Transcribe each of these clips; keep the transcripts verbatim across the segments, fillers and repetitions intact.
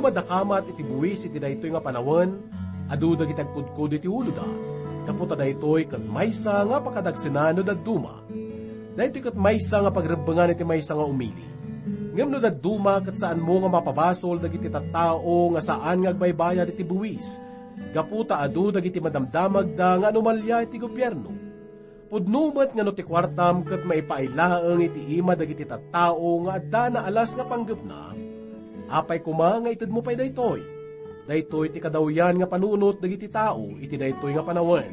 Adda kamat iti buis iti daytoy nga panawen, adu dagiti agkudkudo iti uloda, gapu ta daytoy ket maysa nga pakadagsenan no dadduma. Daytoy ket maysa nga pagrebbengan iti maysa nga umili. Ngem no dadduma, ket saanmo nga mapabasol dagiti tattao nga saan nga agbaybayad iti buis, gapu ta adu dagiti madamdamagda nga anomalia iti gobierno. Pudno met nga no ti kuartam ket maipaay laeng iti ima dagiti tattao nga adda naalas nga panggepna, apay koma nga itedmo pay daytoy? Daytoy ti kadawyan nga panunot dagiti tao iti daytoy nga panawen.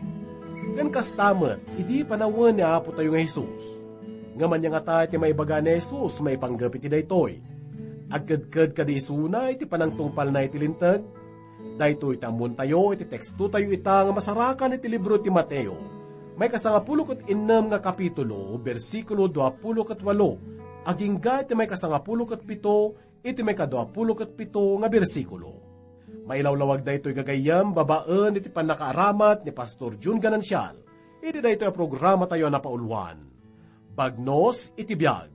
Ken kasta met idi panawen ni Apotayo nga Jesus. Ngem ania ngata ti maibaga ni Jesus maipanggep iti daytoy? Agkedked kadi isuna iti panangtungpalna iti Linteg? Daytoy ti ammontayo iti tekstotayo ita nga masarakan iti libro ti Mateo, maikasangapulo ket innem nga kapitulo, bersikulo duapulo ket walo, agingga iti maikasangapulo ket pito iti maikaduapulo ket pito nga bersikulo. Mailawlawag daytoy gagayyem babaen iti pannakaaramat ni Pastor Jun Ganancial iti daytoy a programatayo a napauluan, Bagnos iti Biag.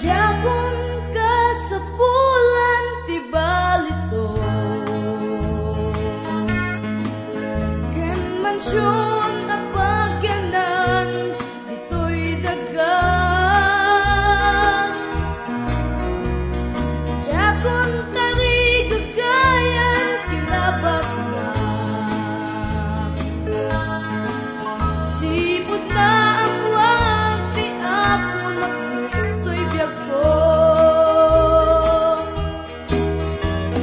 Diakon kasapulan ti balito, ken mansion a pagyanan ditoy daga. Diakon tarigagayan ti nabaknang. Sipud naammoak ti Aponak ditoy biagko.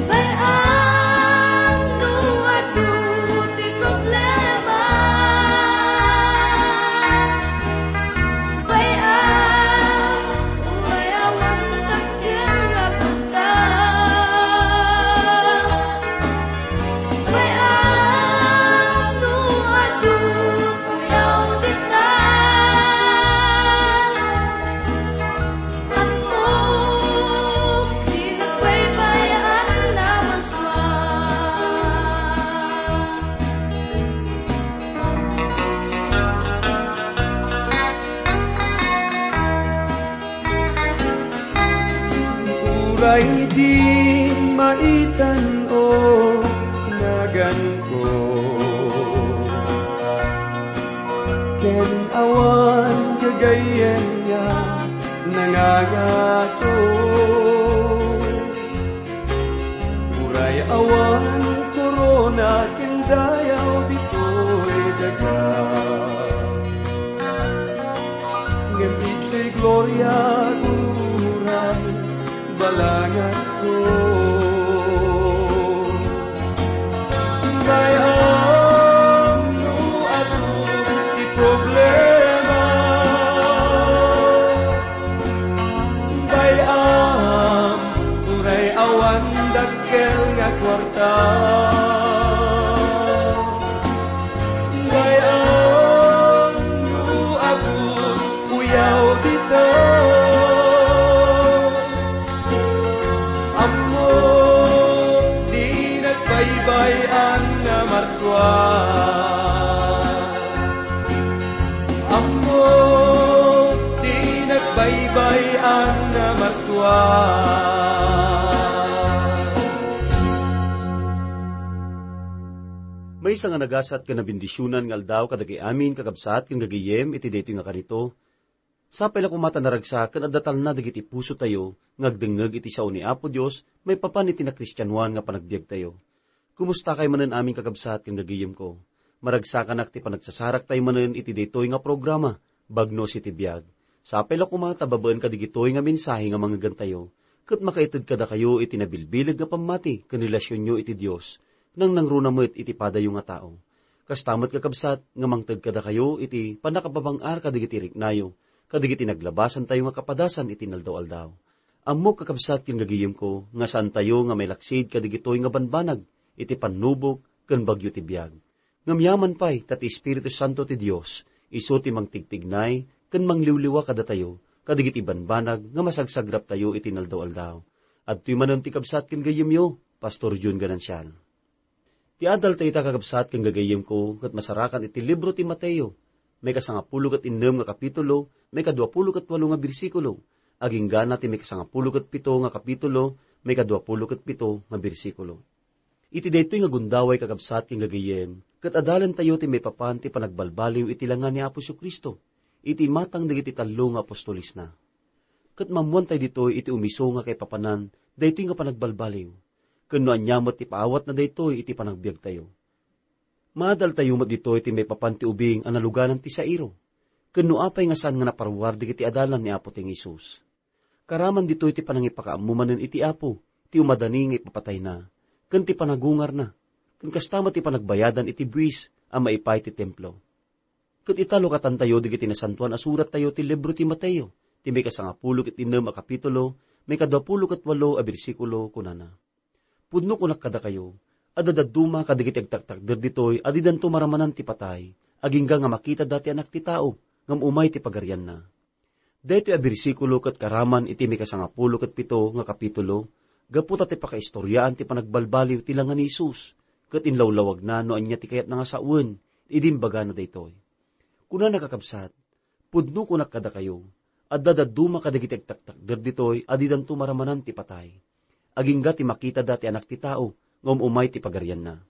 Bay-am no adu ti problema. Bay-am, uray awan dakkel nga kuarta. Bay-am no adu, kuyaw dita. Ammok ti nagbaybay-an a marsua. Uray di maitan-o naganko, ken awan gagayyem nga nangangato. Uray awan korona ken dayaw ditoy daga, ngem ditoy gloria uray balanganko. Bay-am no adu ti problema. Bay-am, uray awan dakkel nga kuarta. Bay-am no adu, kuyaw dita. Ammok ti nagbaybay-an a marsua. Ammok ti nagbaybay-an a marsua. Maysa nga nagasat ken nabendisionan nga aldaw kadagiti amin, kakabsat ken gagayyem, iti daytoy nga kanito. Sapay la koma ta naragsak ken adda talna dagiti pusotayo nga agdengngeg iti sao ni Apo Dios maipapan iti nakristianoan nga panagbiagtayo. Kumustakay manen amin, kakabsat ken gagayyemko? Maragsakanak ti panagsasaraktayo manen iti daytoy nga programa, Bagnos iti Biag. Sapay la koma ta babaen kadigitoy nga mensahe nga mangngegantayo, ket makaited kadakayo iti nabilbileg nga pammati ken relasionyo iti Dios, nangnangruna met iti padayo nga tao. Kasta met, kakabsat, nga mangted kadakayo iti pannakababang-ar kadigiti riknayo, kadigiti naglabasantayo nga kapadasan iti inaldaw-aldaw. Ammok, kakabsat ken gagayyemko, nga saantayo nga mailaksid kadigitoy nga banbanag iti pannubok ken bagyo ti biag. Ngem yaman pay ta ti Espiritu Santo ti Dios isu ti mangtigtignay ken mangliwliwa kadatayo kadigiti banbanag nga masagsagraptayo iti inaldaw-aldaw. Adtoy manen ti kabsat ken gayyemyo, Pastor Jun Ganancial. Ti adaltayo ita, kakabsat ken gagayyemko, ket masarakan iti libro ti Mateo, maikasangapulo ket innem nga kapitulo, maikaduapulo ket walo nga bersikulo, agingga na ti maikasangapulo ket pito nga kapitulo, maikaduapulo ket pito nga bersikulo. Iti daytoy nga gundaway, kakabsat ken gagayyem, ket adalentayo ti maipapan ti panagbalbaliw iti langa ni Apo Jesu-Cristo, iti imatang dagiti tallo nga apostolesna. Ket maammoantayo ditoy iti umiso nga kaipapanan daytoy nga panagbalbaliw, ken no ania met ti paawatna daytoy iti panagbiagtayo. Maadaltayo met ditoy ti maipapan ti ubing a naluganan ti sairo, ken no apay nga saan nga naparuar dagiti adalan ni Apo ti Jesus. Karaman ditoy ti panangipakaammo manen iti Apo, ti umadani nga ipapatayna, ken ti panagungarna, ken kasta met ti panagbayadan iti buis a maipaay ti templo. Ket ita lukatantayo dagiti nasantoan a surattayo ti libro ti Mateo, ti maikasangapulo ket innem a kapitulo, maikaduapulo ket walo a bersikulo, kunana, "Pudno kunak kadakayo, adda dadduma kadagiti agtaktakder ditoy a didanto maramanan ti patay, agingga nga makitada ti Anak ti Tao, ngem umay ti pagarianna." Daytoy a bersikulo ket karaman iti maikasangapulo ket pito nga kapitulo, gapu ta ti pakaistoriaan ti panagbalbaliw ti langa ni Jesus, ket inlawlawagna no ania ti kayatna nga sawen idi imbagana daytoy. Kunana, kakabsat, "Pudno kunak kadakayo, adda dadduma kadagiti agtaktakder ditoy a didanto maramanan ti patay, agingga ti makitada ti Anak ti Tao nga um-umay ti pagarianna."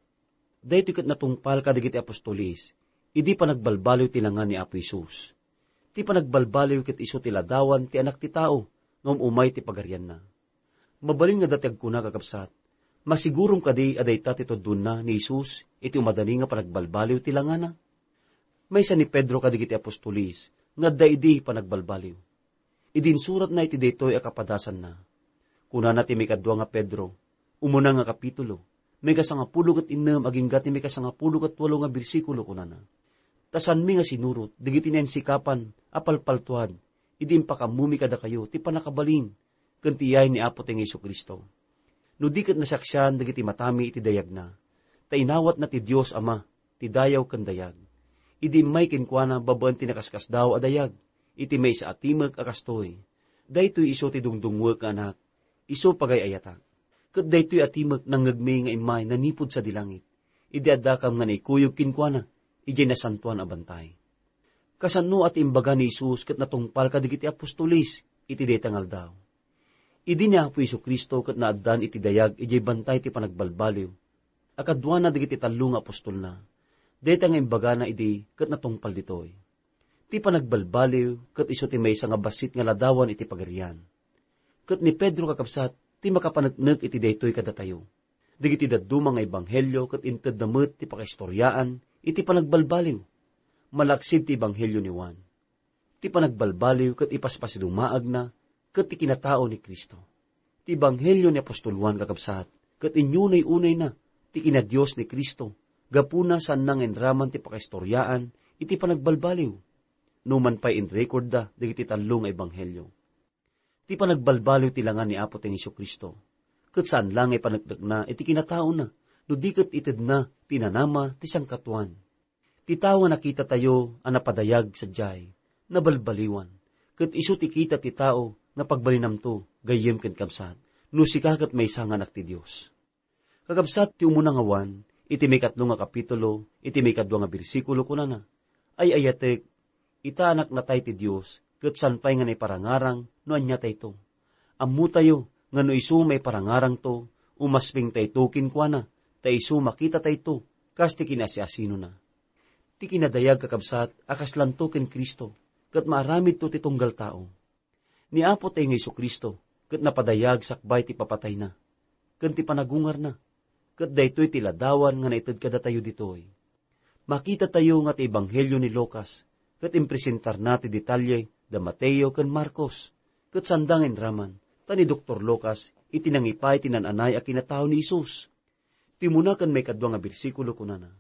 Daytoy ket natungpal kadagiti apostoles idi panagbalbaliw ti langa ni Apo Jesus. Ti panagbalbaliw ket isu ti ladawan ti Anak ti Tao nga um-umay ti pagarianna. Mabalin nga dati agkuna, kakabsat, "Masigurom kadi a dayta ti tudonna ni Jesus iti umadani nga panagbalbaliw ti langana?" Maysa ni Pedro kadagiti apostoles nga adda idi panagbalbaliw. Idi insuratna iti daytoy a kapadasanna, kunana ti maikadua nga Pedro, umuna nga kapitulo, maikasangapulo ket innem agingga ti maikasangapulo ket walo nga bersikulo, kunana, "Ta saanmi nga sinurot dagiti nainsikapan a palpaltuad idi impakammomi kadakayo ti pannakabalin ken ti iyay ni Apo ti Jesu-Cristo. No di ket nasaksian dagiti matami iti dayagna, ta inawatna ti Dios Ama ti dayaw ken dayag, idi immay kenkuana babaen ti nakaskasdaaw a dayag, iti maysa a timek a kastoy, 'Daytoy isu ti dungdungngoek nga Anak, isu pagay-ayatak.' Ket daytoy a timek nangngegmi nga immay nanipud sadi langit, idi addakam nga naikuyog kenkuana idiay nasantoan a bantay." Kasano a ti imbaga ni Jesus ket natungpal kadagiti apostoles iti dayta nga aldaw? Idi ni Apo Jesu-Cristo ket naaddan iti dayag idiay bantay ti panagbalbaliw, a kaduana dagiti tallo nga apostolna, dayta nga imbagana idi ket natungpal ditoy. Ti panagbalbaliw ket isu ti maysa nga bassit nga ladawan iti Pagarian. Ket ni Pedro, kakabsat, ti makapaneknek iti daytoy kadatayo. Dagiti dadduma nga ebanghelio ket intedda met ti pakaistoriaan iti panagbalbaliw, malaksid ti ebanghelio ni Juan. Ti panagbalbaliw ket ipaspasidumaagna ket ti kinatao ni Cristo. Ti ebanghelio ni apostol Juan, kakabsat, ket inyunay-unayna ti kinadios ni Cristo, gapuna saanna nga inraman ti pakaistoriaan iti panagbalbaliw, numan pay inrekordda dagiti tallo nga ebanghelio. Ti panagbalbaliw ti langa ni Apo ti Jesu-Cristo, ket saan la nga ipaneknekna iti kinataona, no di ket itedna ti nanama ti sangkatuan. Ti tao nga nakitatayo a napadayag sadiay, nabalbaliwan, ket isu ti kita ti tao nga pagbalinamto, gayyem ken kabsat, no sika ket maysa nga anak ti Dios. Kakabsat, ti umuna nga Juan, iti maikatlo nga kapitulo, iti maikadua nga bersikulo, kunana, "Ay-ayatek, ita a naknatay ti Dios, ket saan pay nga naiparangarang no ania tayto. Ammotayo nga no isu maiparangarangto, umasping tayto kenkuana, ta isu makita tayto kas ti kinasiasinona." Ti kinadayag, kakabsat, a kaslanto ken Cristo, ket maaramidto ti tunggal tao. Ni Apo tayo nga Jesu-Cristo ket napadayag sakbay ti papatayna ken ti panagungarna, ket daytoy ti ladawan nga naited kadatayo ditoy. Makitatayo nga ti ebanghelio ni Lucas ket impresentarna ti detalye da Mateo ken Marcos, ket sanda nga inraman, ta ni Doktor Lucas iti nangipaay ti naan-anay a kinatao ni Jesus. Ti umuna ken maikadua nga bersikulo, kunana,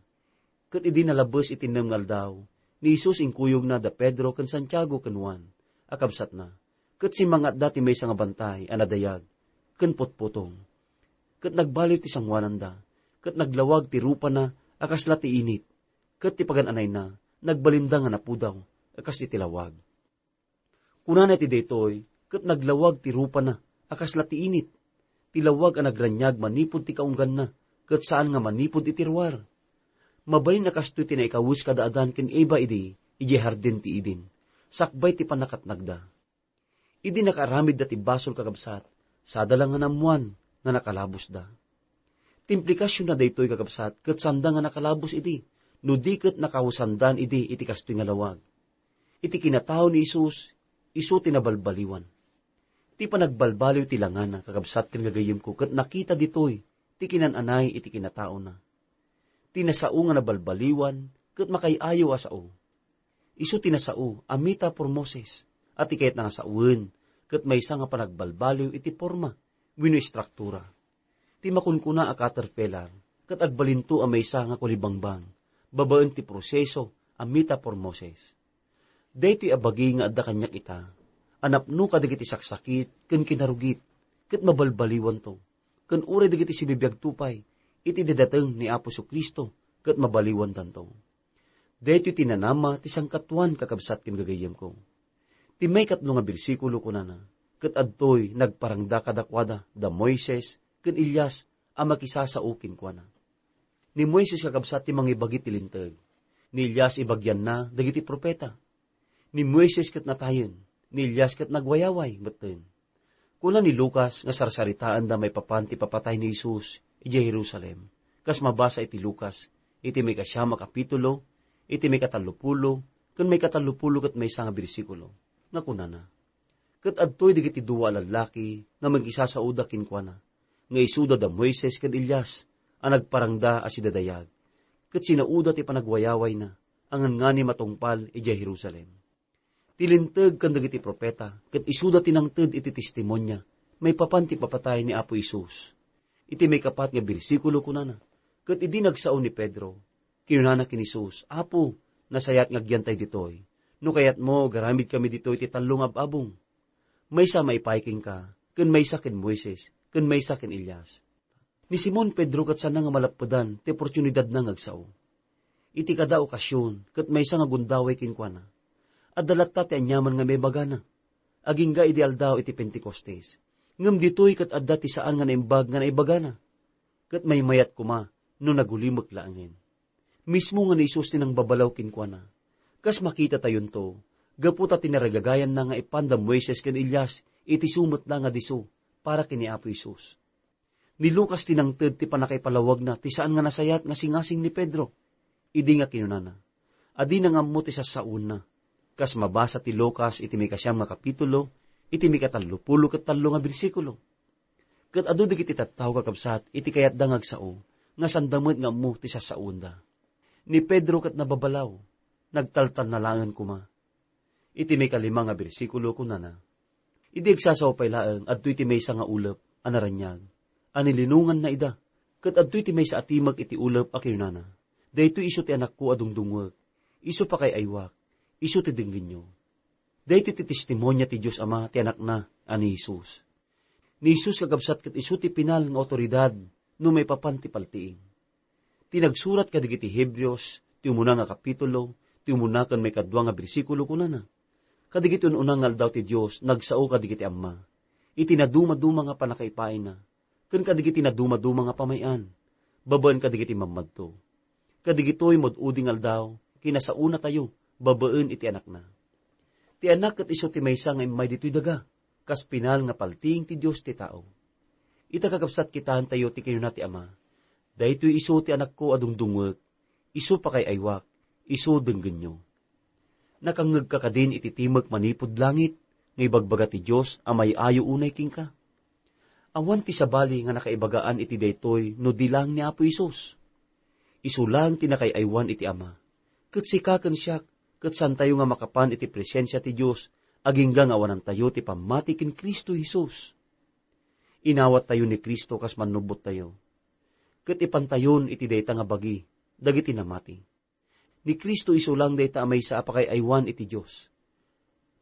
"Ket idi nalabbes iti nem nga aldaw, ni Jesus inkuyogna da Pedro ken Santiago ken Juan a kabsatna, ket simmangatda ti maysa nga bantay a nadayag ken putputong. Ket nagbaliw ti sangoananda, ket naglawag ti rupana a kasla ti init, ket ti pagan-anayna nagbalinda nga napudaw a kas iti lawag." Kunana iti daytoy, ket naglawag ti rupana a kasla ti init, ti lawag a nagraniag manipud ti kaungganna, ket saan nga manipud iti ruar. Mabalin a kastoy ti naikawes kada Adan ken Eva idi idiay hardin ti Eden, sakbay ti pannakatnagda. Idi nakaaramidda ti basol, kakabsat, sada la nga naammoan nga nakalabosda. Ti implikasionna daytoy, kakabsat, ket saanda nga nakalabos idi, no di ket nakausandan idi iti kastoy nga lawag. Iti kinatao ni Jesus, isu ti nabalbaliwan. Ti panagbalbaliw ti langana, kakabsat ken gagayyemko, ket nakita ditoy ti kinan-anay iti kinataona. Ti nasao nga nabalbaliwan ket makaay-ayo a sao. Isu ti nasao a metaphormosis, a ti kayatna nga sawen ket maysa nga panagbalbaliw iti porma wenno istruktura. Ti makunkuna a caterpillar ket agbalinto a maysa nga kulibangbang babaen ti proseso a metaphormosis. Daytoy a bagi nga adda kaniak ita, a napno kadagiti saksakit ken kinarugit, ket mabalbaliwanto, ken uray dagiti sibibiagto pay iti didateng ni Apo Jesu-Cristo ket mabaliwandanto. Daytoy ti nanama ti sangkatuan, kakabsat ken gagayyemko. Ti maikatlo nga bersikulo kunana, ket adtoy nagparangda kadakuada da Moises ken Elias a makisasao kenkuana. Ni Moises, kakabsat, ti mangibagi ti Linteg. Ni Elias, ibagianna dagiti profeta. Ni Moises ket natayen, ni Elias ket nagwayaway metten. Kuna ni Lucas nga sarsaritaenda maipapan ti ipapatay ni Jesus idiay Jerusalem, kas mabasa iti Lucas, iti maikasiam a kapitulo, iti maikatallopulo, ken maikatallopulo ket maysa nga bersikulo, nga kunana, "Ket adtoy dagiti dua a lallaki nga mangisasaoda kenkuana, nga isuda da Moises ken Elias, a nagparangda a sidadayag, ket sinaoda ti panagwayawayna, a ngannganim a tungpal idiay Jerusalem." Ti Linteg ken dagiti profeta ket isuda ti nangted iti testimonia maipapan ti ipapatay ni Apo Jesus. Iti maikapat nga bersikulo kunana, "Ket idi nagsao ni Pedro, kinunana ken Jesus, 'Apo, nasayaat nga agyantay ditoy. No kayatmo, agaramidkami ditoy ti tallo nga ab-abong. Maysa maipaay kenka, ken maysa ken Moises, ken maysa ken Elias.'" Ni Simon Pedro ket saanna nga malappedan ti oportunidadna nga agsao. Iti kada okasion, ket maysa nga gundaway kenkuana. Adda latta ti aniaman nga maibagana, agingga idi aldaw iti Pentecostes. Ngem ditoy ket adda ti saan nga naimbag nga naibagana. Ket maymayat koma no nagulimek laengen. Mismo nga ni Jesus ti nangbabalaw kenkuana. Kas makitatayonto, gapu ta tinaragagayanna nga ipan da Moises ken Elias iti sumet la nga disso para ken ni Apo Jesus. Ni Lucas ti nangted ti pannakaipalawagna ti saan nga nasayaat nga singasing ni Pedro, idi nga kinunana, "Adina nga ammo ti sassaoenna." Kas mabasa ti Lucas iti maikasiam nga kapitulo, iti maikatallopulo ket tallo nga bersikulo. Ket adu dagiti tattao, kakabsat, iti kayatda nga agsao, nga saanda met nga ammo ti sassaoenda. Ni Pedro ket nababalaw, nagtaltalna laengen koma. Iti maikalima nga bersikulo, kunana, "Idi agsasao pay laeng, adtoy ti maysa nga ulep a naraniag a nilinonganna ida, ket adtoy ti maysa a timek iti ulep a kinunana, 'Daytoy isu ti Anakko a dungdungngek, isu pakaay-aywak, isu ti denggenyo.'" Daytoy ti testimonia ti Dios Ama ti Anakna a ni Jesus. Ni Jesus, kakabsat, ket isu ti pinal nga awtoridad no maipapan ti paltiing. Ti nagsurat kadagiti Hebreos, ti umuna nga kapitulo, ti umuna ken maikadua nga bersikulo, kunana, "Kadagiti un-una nga aldaw ti Dios nagsao kadagiti Ama, iti nadumaduma nga pannakaipaayna, ken kadagiti nadumaduma nga pamay-an, babaen kadagiti mammadto. Kadagitoy mad-udi nga aldaw, kinasaonatayo babaen iti Anakna." Ti Anak ket isu ti maysa nga immay ditoy daga, kas pinal nga paltiing ti Dios ti tao. Ita, kakabsat, kitaentayo ti kinuna ti Ama, "Daytoy isu ti Anakko a dungdungngek, isu pakaay-aywak, isu denggenyo." Nakangngegka kadin iti timek manipud langit nga ibagbaga ti Dios a may-ayo unay kenka? Awan ti sabali nga nakaibagaan iti daytoy no di laeng ni Apo Jesus. Isu laeng ti nakaay-aywan iti Ama. Ket sika ken siak, ket saantayo nga makapan iti presensia ti Dios agingga nga awanantayo ti pammati ken Cristo Jesus. Inawattayo ni Cristo kas mannubbottayo. Ket ipantayon iti dayta nga bagi dagiti namati. Ni Cristo isu laeng dayta a maysa a pakaay-aywan iti Dios.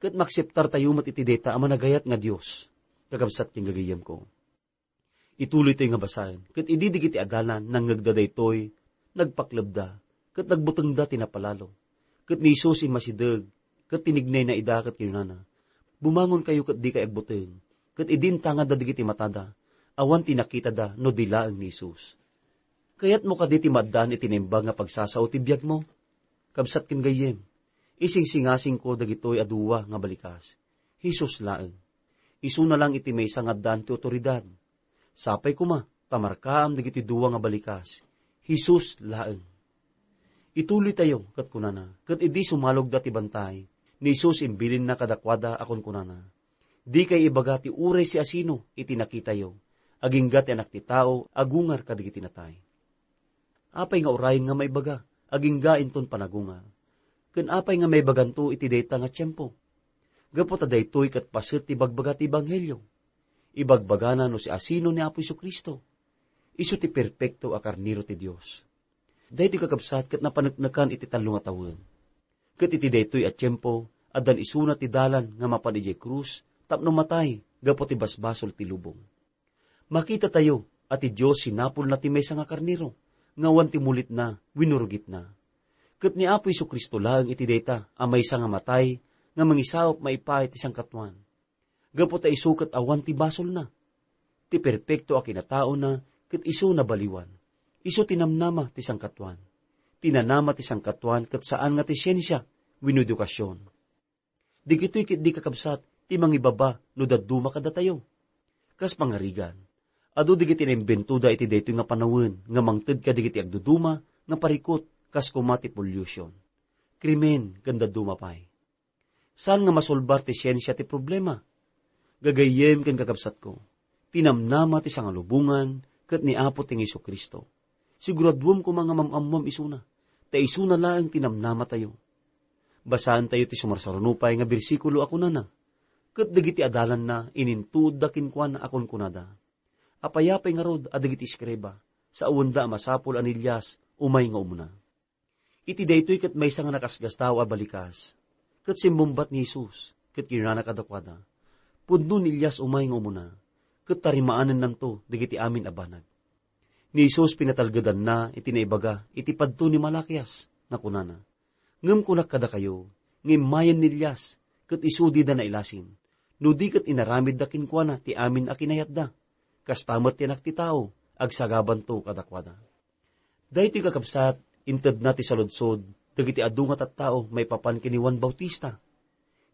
Ket maakseptartayo met iti dayta a managayat nga Dios, kakabsat ken gagayyemko. Ituloytayo nga basaen, ket idi dagiti adalan nangngegda daytoy, nagpaklebda, ket nagbutengda ti napalalo. Ket ni Jesus immasideg, ket tinignayna ida ket kinunana, "Bumangonkayo ket dikay agbuteng." Ket idi intangadda dagiti matada, awan ti nakitada no di laeng ni Jesus. Kayatmo kadi ti maaddaan iti naimbag nga pagsasao ti biagmo? Kabsat ken gayyem, Isingsingasingko dagitoy a dua nga balikas. Jesus laeng. Isuna lang iti maysa nga addaan ti awtoridad. Sapay koma ta markaam dagitoy dua nga balikas. Jesus laeng. Ituloytayo, ket kunana, ket idi sumalogda ti bantay, ni Jesus imbilinna kadakuada a kunkunana, "Dikay ibaga ti uray siasino iti nakitayo, agingga ti Anak ti Tao a gungar kadagiti natay." Apay nga uray nga maibaga, agingga inton panagungar? Ken apay nga maibaganto iti dayta nga tiempo? Gapu ta daytoy ket paset ti bagbaga ti ebanghelio. Ibagbagana no siasino ni Apo Jesu-Cristo. Isu ti perpekto a karnero ti Dios. Daytoy kakabsat ket napaneknekan iti tallo nga tawen. Ket iti daytoy a tiempo, addan isuna ti dalan nga mapan idiay krus tapno matay gapu ti basbasol ti lubong. Makitatayo a ti Dios sinapulna ti maysa nga karnero nga awan ti mulitna wenno rugitna. Ket ni Apo Jesu-Cristo laeng iti dayta a maysa nga matay nga mangisaup maipaay ti sangkatuan. Gapu ta isu ket awan ti basolna. Ti perpekto a kinataona ket isu nabaliwan. Isu ti namnama ti sangkatuan. Ti nanama ti sangkatuan ket saan nga ti siensia wenno edukasion. Dagitoy ketdi, kakabsat, ti mangibaba no dadduma kadatayo. Kas pangarigan, adu dagiti naimbentoda iti daytoy nga panawen nga mangted kadagiti agduduma nga parikut kas koma ti pollution, krimen, ken dadduma pay. Saan nga masolbar ti siensia ti problema? Gagayyem ken kakabsatko, ti namnama ti sangalubongan ket ni Apo ti Jesu-Cristo. Siguraduem koma nga mam-ammoam isuna, ta isuna laeng ti namnamatayo. Basaentayo ti sumarsaruno pay nga bersikulo a kunana, "Ket dagiti adalanna inintuodda kenkuana a kunkunada, 'Apay pay ngarud a dagiti eskriba, saanda a masapul a ni Elias umay nga umuna?'" Iti daytoy ket maysa nga nakasgastaw a balikas. Ket simmungbat ni Jesus, ket kinunana kadakuada, "Pudno ni Elias umay nga umuna, ket tarimaanennanto dagiti amin a banag." Ni Jesus pinatalgedanna iti naibaga iti padto ni Malakias nga kunana, "Ngem kunak kadakayo, nga immayen ni Elias, ket isu dida nailasin, no di ket inaramidda kenkuana ti amin a kinayatda. Kasta met ti Anak ti Tao, agsagabanto kadakuada." Daytoy, kakabsat, intedna ti saludsod dagiti adu nga tattao maipapan ken ni Juan Bautista.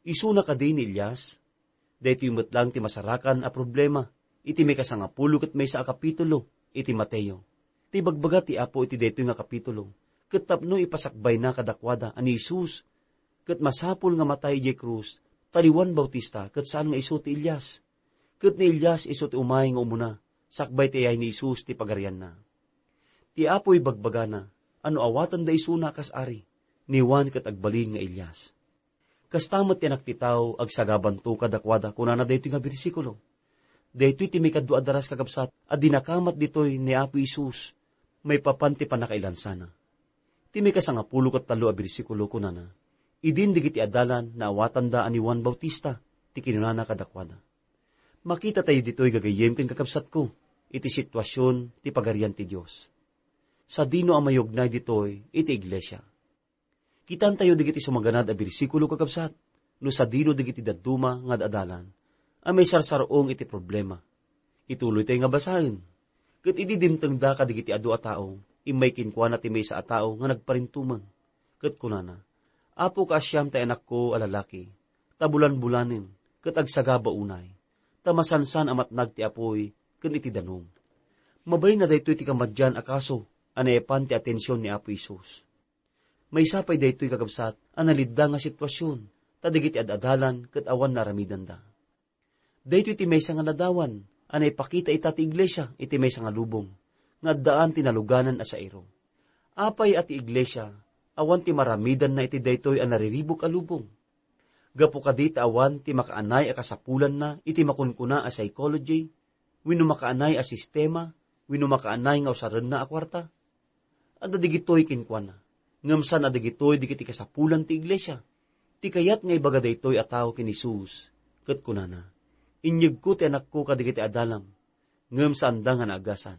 Isuna kadi ni Elias? Daytoy met laeng ti masarakan a problema iti maikasangapulo ket maysa a kapitulo iti Mateo. Ti ibagbaga ti Apo iti daytoy nga kapitulo, ket tapno ipasakbayna kadakuada a ni Jesus ket masapul nga matay idiay krus, ta ni Juan Bautista ket saan nga isu ti Elias. Ket ni Elias isu ti umay nga umuna, sakbay ti ayay ni Jesus ti pagarianna. Ti Apo ibagbagana a no awatenda isuna a kas ari, ni Juan ket agbalin nga Elias. Kasta met ti Anak ti Tao, agsagabanto kadakuada, kunana daytoy nga bersikulo. Daytoy ti maikadua a daras, kakabsat, a dinakamat ditoy ni Apo Jesus maipapan ti pannakailansana. Ti maikasangapulo ket tallo a bersikulo kunana, "Idin dagiti adalan naawatanda a ni Juan Bautista ti kinunana kadakuada." Makitatayo ditoy, gagayyem ken kakabsatko, iti situasion ti Pagarian ti Dios. Sadino a mayugnay ditoy iti iglesia? Kitantayo dagiti sumaganad a bersikulo, kakabsat, no sadino dagiti dadduma nga ad-adalan a maisarsar-ong iti problema. Ituloytayo nga basaen. Ket idi dimtengda kadagiti adu a tao, immay kenkuana ti maysa a tao nga nagparintumeng, ket kunana, "Apo, kaasiam ti anakko a lalaki, ta bulanbulanen, ket agsagaba unay, ta masansan a matnag ti apuy ken iti danum." Mabalinna daytoy ti kamadian a kaso a nayapan ti atension ni Apo Jesus. Maysa pay daytoy, kakabsat, a nalidda nga situasion, ta dagiti ad-adalan ket awan naaramidanda. Daytoy ti maysa nga ladawan a naipakita ita ti iglesia iti maysa nga lubong nga addaan ti naluganan a sairo. Apay a ti iglesia awan ti maramidanna iti daytoy a nariribuk a lubong? Gapu kadi ta awan ti makaanay a kasapulanna iti makunkuna a psychology, wenno makaanay a sistema, wenno makaanay nga usarenna a kuarta? Adda dagitoy kenkuana, ngem saan a dagitoy dagiti kasapulan ti iglesia. Ti kayat nga ibaga daytoy a tao ken Jesus, ket kunana, "Inyegko ti anakko kadagiti adalam, ngem saanda nga naagasan."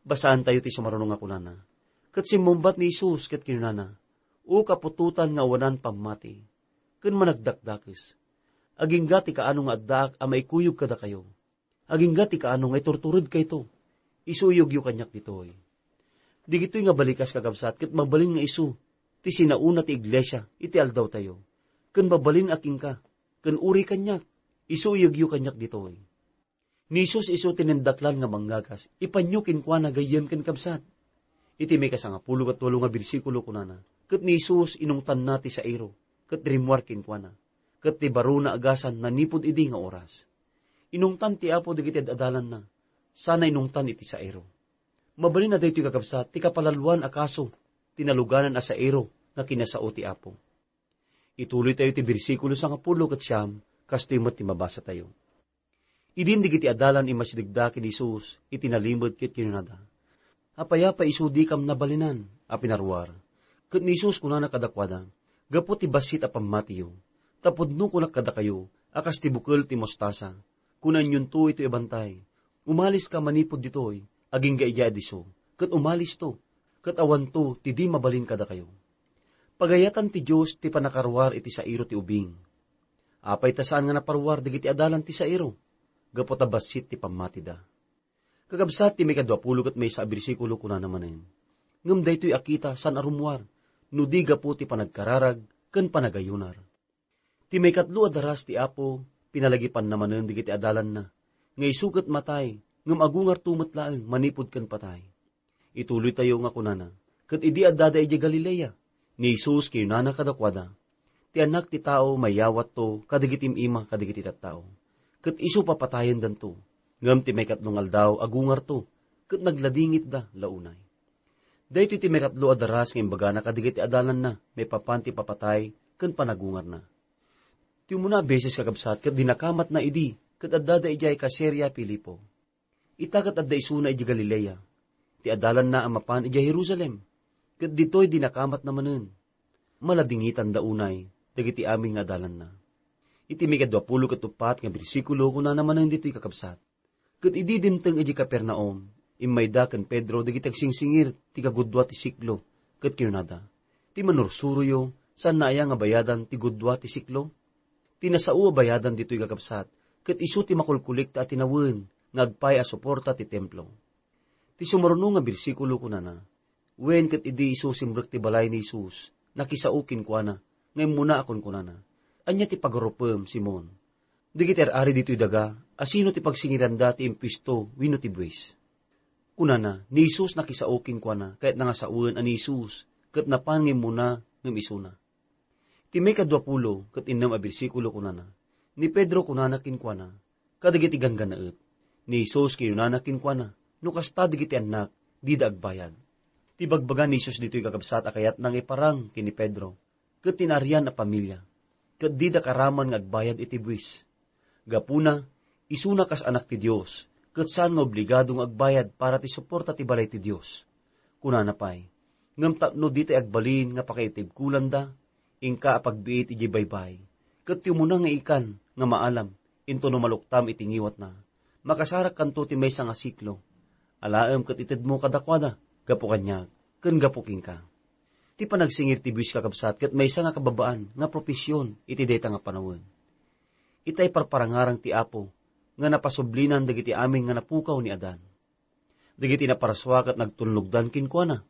Basaentayo ti sumaruno nga kunana, "Ket simmungbat ni Jesus ket kinunana, 'O kaputotan nga awanan pammati ken managdakdakes, agingga ti kaano nga addaak a maikuyog kadakayo? Agingga ti kaano nga iturturedkayto? Isuyogyo kaniak ditoy.'" Dagitoy nga balikas, kakabsat, ket mabalin nga isu ti sinaona ti iglesia iti aldawtayo, ken mabalin a kenka, ken uray kaniak, isuyegyo kaniak ditoy. Ni Jesus isu ti nindaklan nga manggagas, ipanyo kenkuana gayyem ken kabsat. Iti maikasangapulo ket walo nga bersikulo kunana, ket ni Jesus inungtanna ti sairo, ket rimmuar kenkuana, ket ti barona a gasna nanipud idi nga oras. Inungtan ti Apo dagiti ad-adalanna, sana inungtan iti sairo. Mabalin a daytoy kakabsat ti kapalaloan a kaso ti naluganan a sairo nga kinasao ti Apo. Ituloytayo ti bersikulo sangapulo ket siam, kastoy met ti mabasatayo. Idin dagiti adalan immasidegda ken ni Jesus iti nalimed ket kinunada, "Apay a pay isu dikam nabalinan a pinaruar?" Ket ni Jesus kunana kadakuada, "Gapu ti bassit a pammatiyo, ta pudno kunak kadakayo a kas ti bukel ti mostasa. Kunanyonto itoy a bantay, 'Umaliska manipud ditoy, agingga idiay disso,' ket umalisto, ket awanto ti di mabalin kadakayo." Pagayatan ti Dios ti pannakaruar iti sairo ti ubing. Apay ta saan nga naparuar dagiti adalan ti sairo? Gapu ta bassit ti pammatida. Kakabsat, ti maikadua pulo ket maysa a bersikulo kunana manen, "Ngem daytoy a kita saan a rummuar, no di gapu ti panagkararag ken panagayunar." Ti maikatlo a daras ti Apo, pinalagipanna manen dagiti adalanna, nga isu ket matay, ngem agungarto met laeng manipud ken patay. Ituloytayo nga kunana, "Ket idi addada idiay Galilea, ni Jesus kinunana kadakuada, 'Ti Annak ti Tao mayawatto kadagiti im-ima kadagiti tattao, ket isu papatayendanto, ngem ti maikatlo nga aldaw agungarto, ket nagladingitda la unay.'" Daytoy ti maikatlo a daras nga imbagana kadagiti adalanna maipapan ti papatay ken panagungarna. Ti umuna a beses, kakabsat, ket dinakamatna idi ket addada idiay Caesarea Filipo. Ita ket adda isuna idiay Galilea, ti adalanna a mapan idiay Jerusalem, ket ditoy dinakamatna manen. Maladingitanda unay dagiti amin nga adalanna. Iti maikadua pulo ket uppat nga bersikulo, kunana manen ditoy, kakabsat, "Ket idi dimteng idiay Capernaum, immayda ken Pedro dagiti agsingsingir ti kagudua ti siklo, ket kinunada, 'Ti manursuroyo, saanna aya nga bayadan ti gudua ti siklo? Ti nasao a bayadan ditoy, kakabsat, ket isu ti makulkulikta a tinawen nga agpay a suporta ti templo.'" Ti sumaruno nga bersikulo kunana, "Wen ket idi isu simrek ti balay ni Jesus, nakisao kenkuana nga immuna a kunkunana, 'Ania ti pagarupem, Simon?' Dagiti ar-ari ditoy daga, asino ti pagsingiranda ti impuesto wenno ti buis?" Kunana, ni Jesus nakisao kenkuana, kayatna nga sawen a ni Jesus ket napan nga immuna ngem isuna. Ti maikadua pulo ket innem a bersikulo kunana, "Ni Pedro kunana kenkuana, kadagiti ganggannaet, ni Jesus kinunana kenkuana, 'No kasta dagiti annak, dida agbayad.'" Ti bagbaga ni Jesus ditoy, kakabsat, a kayatna nga iparang ken ni Pedro ket ti naarian a pamilya, ket dida karaman nga agbayad iti buis. Gapuna, isuna kas Anak ti Dios, ket saan nga obligado nga agbayad para ti suporta ti balay ti Dios. Kunana pay, "Ngem tapno ditay agbalin nga pakaitibkolanda, inka a pagbiit idiay baybay, ket ti umuna nga ikan nga maalam, intono maluktam iti ngiwatna, makasarakkanto ti maysa nga siklo. Alaem ket itedmo kadakuada, gapu kaniak, ken gapu kenka." Ti panagsingir ti buis, kakabsat, ket maysa nga kababaan nga profesion iti dayta nga panawen. Itay parparangarang ti Apo nga napasublinan dagiti amin nga napukaw ni Adan. Dagiti naparsua ket nagtulnogdan kenkuana.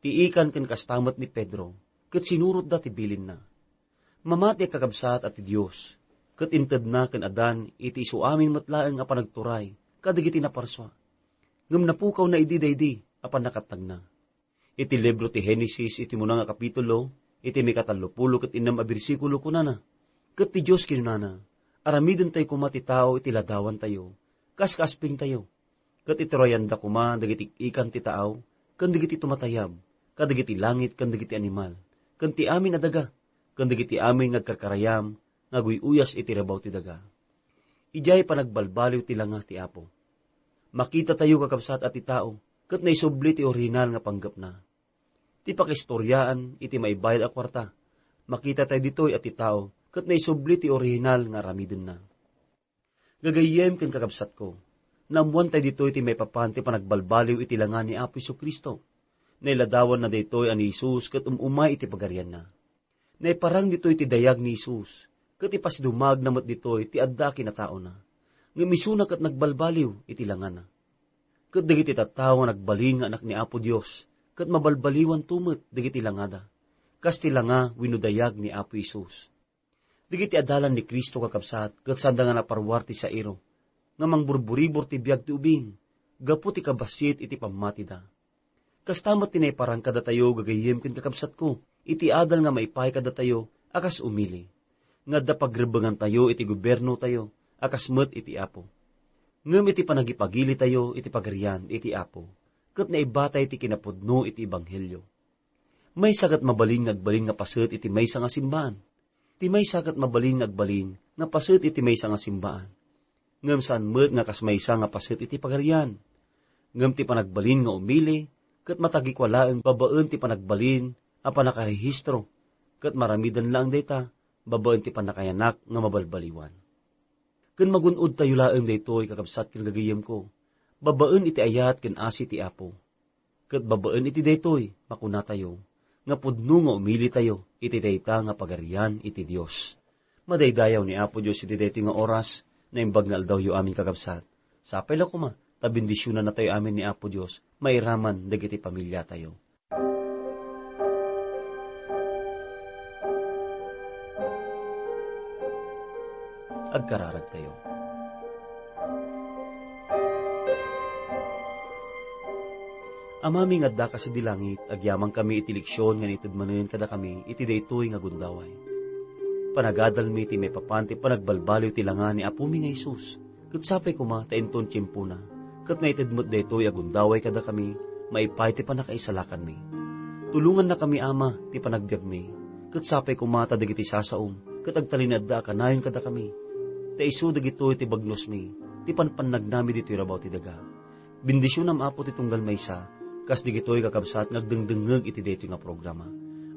Ti ikan ken kasta met ni Pedro, ket sinurotda ti bilinna. Mamati a kakabsat a ti Dios, ket intedna ken Adan iti isuamin met laeng a panagturay kadagiti naparsua. Ngem napukawna idi daydi a pannakatnagna. Iti libro ti Genesis, iti muna nga kapitulo, iti mikatallopulo ket innem a bersikulo, kunana, "Ket ti Dios kinunana, 'Aramidentayo koma ti tao iti ladawantayo, kas kaaspingtayo.' Ket iturayanda koma dagiti ikan ti tao, ken dagiti tumatayab, kadagiti langit, ken dagiti animal, ken ti amin a daga, ken dagiti amin nga agkarkarayam nga aguy-uyas iti rabaw ti daga." Idiay panagbalbaliw ti langa ti Apo. Makitatayo, kakabsat, a ti tao ket naisubli ti orihinal nga panggepna. Ti pakaistoriaan iti maibayad a kuarta, makitatayo ditoy a ti tao ket naisubli ti orihinal nga aramidenna. Gagayyem ken kakabsatko, naammoantayo ditoy ti maipapan ti panagbalbaliw iti langa ni Apo Jesu-Cristo. Nailadawanna daytoy a ni Jesus ket um-umay iti pagarianna. Naiparang ditoy ti dayag ni Jesus, ket ipasidumagna met ditoy ti adda a kinataona. Ngem isuna ket nagbalbaliw iti langana. Ket dagiti tattao nga nagbalin nga anak ni Apo Dios, ket mabalbaliwanto met dagiti langada. kas ti langa wenno dayag ni Apo Jesus. Dagiti adalan ni Cristo, kakabsat, ket saanda nga naparuar ti sairo, nga mangburburibor ti biag ti ubing, gapu ti kabassit iti pammatida. Kasta met ti naiparang kadatayo, gagayyem ken kakabsatko, iti adal nga maipaay kadatayo a kas umili, nga adda pagrebbengantayo iti gobiernotayo a kas met iti Apo. Ngem iti panagipagilitayo iti Pagarian iti Apo, ket naibatay ti kinapudno iti ebanghelio. Maysa ket mabalin nga agbalin nga paset iti maysa nga simbaan. Ti maysa ket mabalin nga agbalin nga paset iti maysa nga simbaan. Ngem saan met nga kas maysa nga paset iti Pagarian. Ngem ti panagbalin nga umili, ket matagikua laeng babaen ti panagbalin a pannakarehistro, ket maramidan laeng dayta babaen ti pannakayanak nga mabalbaliwan. Ken magun-odtayo laeng daytoy, kakabsat ken gagayyemko, babaen iti ayat ken asi ti Apo. Ket babaen iti daytoy, makunatayo, nga pudno nga umilitayo iti dayta nga Pagarian iti Dios. Madaydayaw ni Apo Dios iti daytoy nga oras, naimbag nga aldawyo amin, kakabsat. Sapay la koma, ta bendisionannatayo amin ni Apo Dios, mairaman dagiti pamiliatayo. Agkararagtayo. Amami nga adda kas idi langit, agyamankami iti leksion nga naited manen kadakami iti daytoy nga gundaway. Panagadalmi ti maipapan ti panagbalbaliw ti langa ni Apomi nga Jesus, ket sapay koma ta inton tiempona, ket maited met daytoy a gundaway kadakami maipaay ti pannakaisalakanmi. Tulongannakami, Ama, ti panagbiagmi, ket sapay koma ta dagiti sasaom ket agtalinaedda a kanayon kadakami. Ta isu dagitoy ti bagnosmi, ti panpannagnami ditoy rabaw ti daga. Bendisionam, Apo, ti tunggal maysa, kas dagitoy kakabsat nga agdengdengngeg iti daytoy nga programa.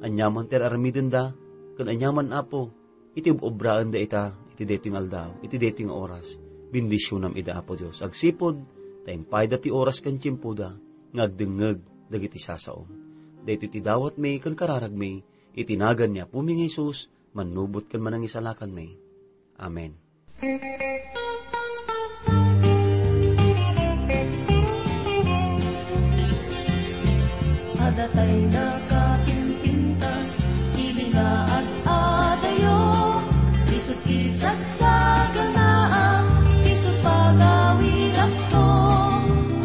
Aniaman ti ar-aramidenda, ken aniaman, Apo, iti ob-obraenda ita, iti daytoy nga aldaw, iti daytoy nga oras, bendisionam ida, Apo Dios. Agsipud ta impayda ti oras ken tiempoda nga agdengngeg dagiti sasaom. Daytoy ti dawatmi ken kararagmi, iti nagan ni Apomi nga Jesus, mannubot ken manangisalakanmi. Amen. Adda tay nakapimpintas, ili nga ad-adayo, isu ti sagsaganaam, isu pagawidakto,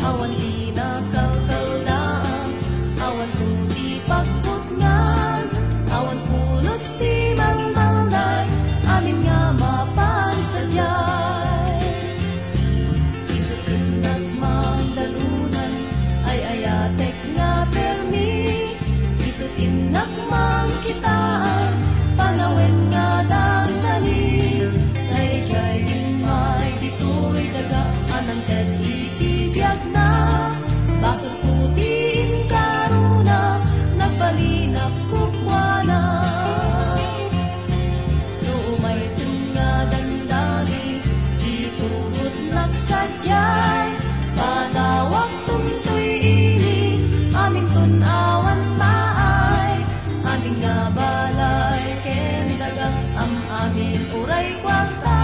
awan ti nakalkaldaam, awan ti pagputngan, awan pulos ti malmalday, amin nga mapan sadiay. Isu ti nagmangdanunan, ay-ayatek nga permi, isu ti nagmangkitaan, panawen nga dandani. Daydiay immay ditoy daga a nangted iti biagna, basolko ti inkarona, nagbalinak kukuana. No umayten nga dandani, di tugot nagsadiay, panawakton toy ili, aminton awan paay, amin nga balay ken daga, am-amin uray kuarta,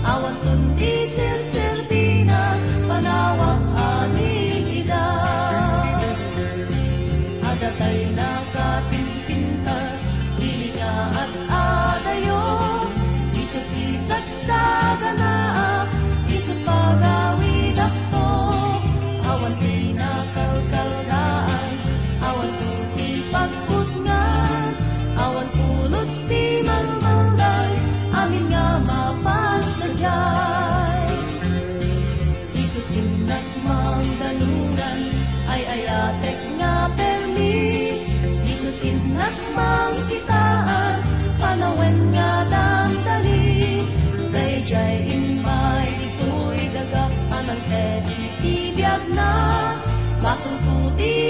awanton ti serserbina, panawak amin ida. Adda tay nakapimpintas, ili nga ad-adayo, isu ti sagsaganaam, isu pagawidakto, awan ti nakalkaldaan, awan ti pagputngan, awan pulos ti malmalday, amin nga mapan sadiay. Isu ti nagmangdanunan, ay-ayatek nga permi, isu ti nagmangkitaan, panawen nga dandani. Daydiay immay ditoy daga a nangted iti biagna, basolko ti